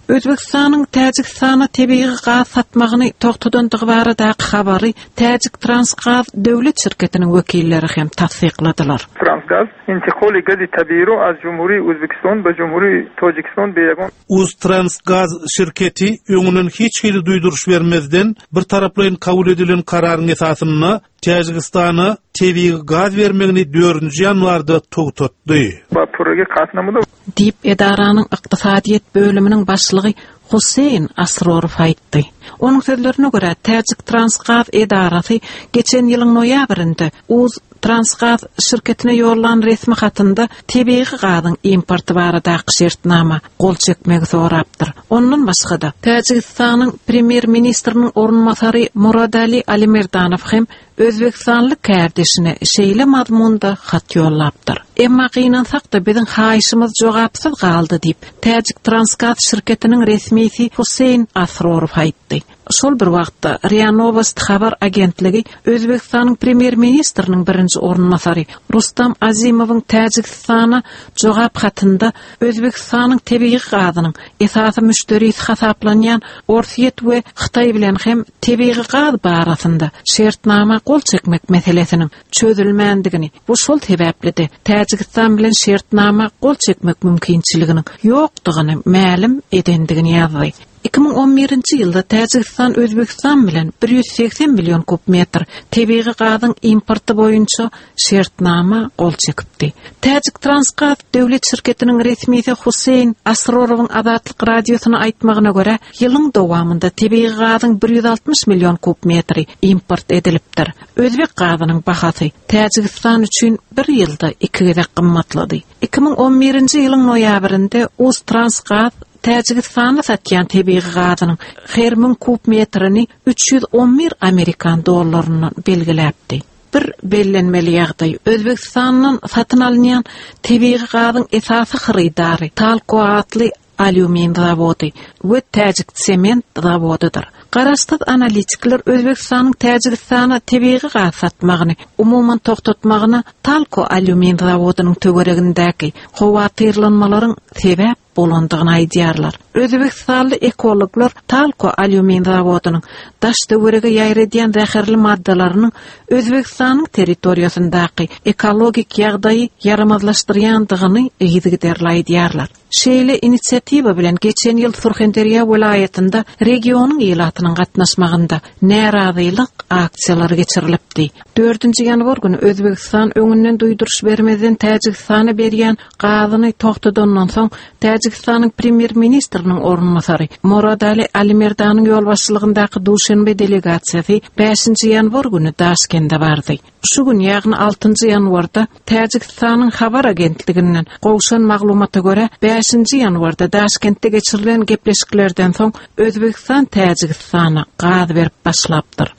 Özbegistanyň Täjigistana tebigy gaz satmagyny togtadandygy baradaky habary Täjiktransgaz döwlet şirketiniň wekilleri hem tassykladylar. Transgaz, intiqoli gazi tabiiy ro az Jumhuriy Uzbekiston be Jumhuriy Tojikiston be yagon. Uztransgaz şirketi öňünden hiç hili duýduryş bermezden, bir taraplaýyn kabul edilen kararyň esasynda Täjigistana tebigy gaz bermegini dördünji ýanwarda togtatdy. Ba purragi qatl namuda. Diýip, edaranyň ykdysadyýet bölüminiň başlygy Huseýn Asrorow aýtdy. Onuň sözlerine görä, Täjiktransgaz edarasy geçen ýylyň noýabrynda Uztransgaz şirketine ýollan resmi hatynda tebigy gazyň importy baradaky şertnama gol çekmegi sorapdyr. Ondan başga-da, Täjigistanyň Premýer-ministriniň orunbasary Muradali Alimerdanow hem özbegistanly kärdeşine şeýle mazmunda hat ýollapdyr. Emma gynansak-da biziň haýyşymyz jogapsyz galdy diýip, Täjiktransgaz şirketiniň resmisi Huseýn Asrorow aýtdy. Şol bir wagtda, Ria Nowosti habar agentligi Özbegistanyň premýer-ministriniň birinji orunbasary Rustam Azimowyň Täjigistana jogap hatynda Özbegistanyň tebigy gazynyň esasy müşderisi hasaplanýan Orsýet we Hytaý bilen hem tebigy gaz barasynda şertnama gol çekmek meselesiniň çözülmändigini we şol sebäpli-de Täjigistan bilen şertnama gol çekmek mümkinçiliginiň ýokdugyny mälim edendigini ýazdy. 2011-nji ýylda Täjigistan Özbegistan bilen 180 million kub metr tebigy gazyň importy boýunça şertnama gol çekipdi. Täjiktransgaz döwlet şirketiniň resmisi Huseýn Asrorowyň Azatlyk Radiosyna aýtmagyna görä, ýylyň dowamynda tebigy gazyň 160 million kub metri import edilipdir. Özbek gazynyň bahasy Täjigistan üçin bir ýylda iki gezek gymmatlady. 2011-nji ýylyň noýabrynda Uztransgaz Täjigistana satýan tebigy gazynyň her müň kub metrini 311 amerikan dollaryndan belgiläpdi. Bir bellenmeli ýagdaý, Özbegistandan satyn alynýan tebigy gazyň esasy hyrydary Talko atly alýumin zawody we Täjiksement zawodydyr. Garaşsyz analitikler Özbegistanyň Täjigistana tebigy gaz satmagyny umuman togtatmagyna Talko alýumin zawodynyň töweregindäki howatyrlanmalaryň sebäp bolandygyny aýdýarlar. Özbegistanly ekologlar Talko alýumin zawodynyň daş-töwerege ýaýradýan zäherli maddalarynyň Özbegistanyň territoriýasyndaky ekologik ýagdaýy ýaramazlaşdyrýandygyny yzygiderli aýdýarlar. Şeýle inisiatiwa bilen geçen ýyl Surhanderýa welaýatynda regionyň ilatynyň gatnaşmagynda närazylyk aksiýalary geçirilipdi. Dördünji ýanwar güni Özbegistan öňünden duýduryş bermezden Täjigistana berýän gazyny togtadandan soň, Täjigistanyň premýer-ministriniň orunbasary Moradali Alimerdanyň ýolbaşçylygyndaky Duşenbe delegasiýasy bäşinji ýanwar güni Daşkende bardy. Şu gün, ýagny altynjy ýanwarda Täjigistanyň habar agentliginden gowşan maglumata görä, bäşinji ýanwarda Daşkentde geçirilen gepleşiklerden soň Özbegistan Täjigistana gaz berip başlapdyr.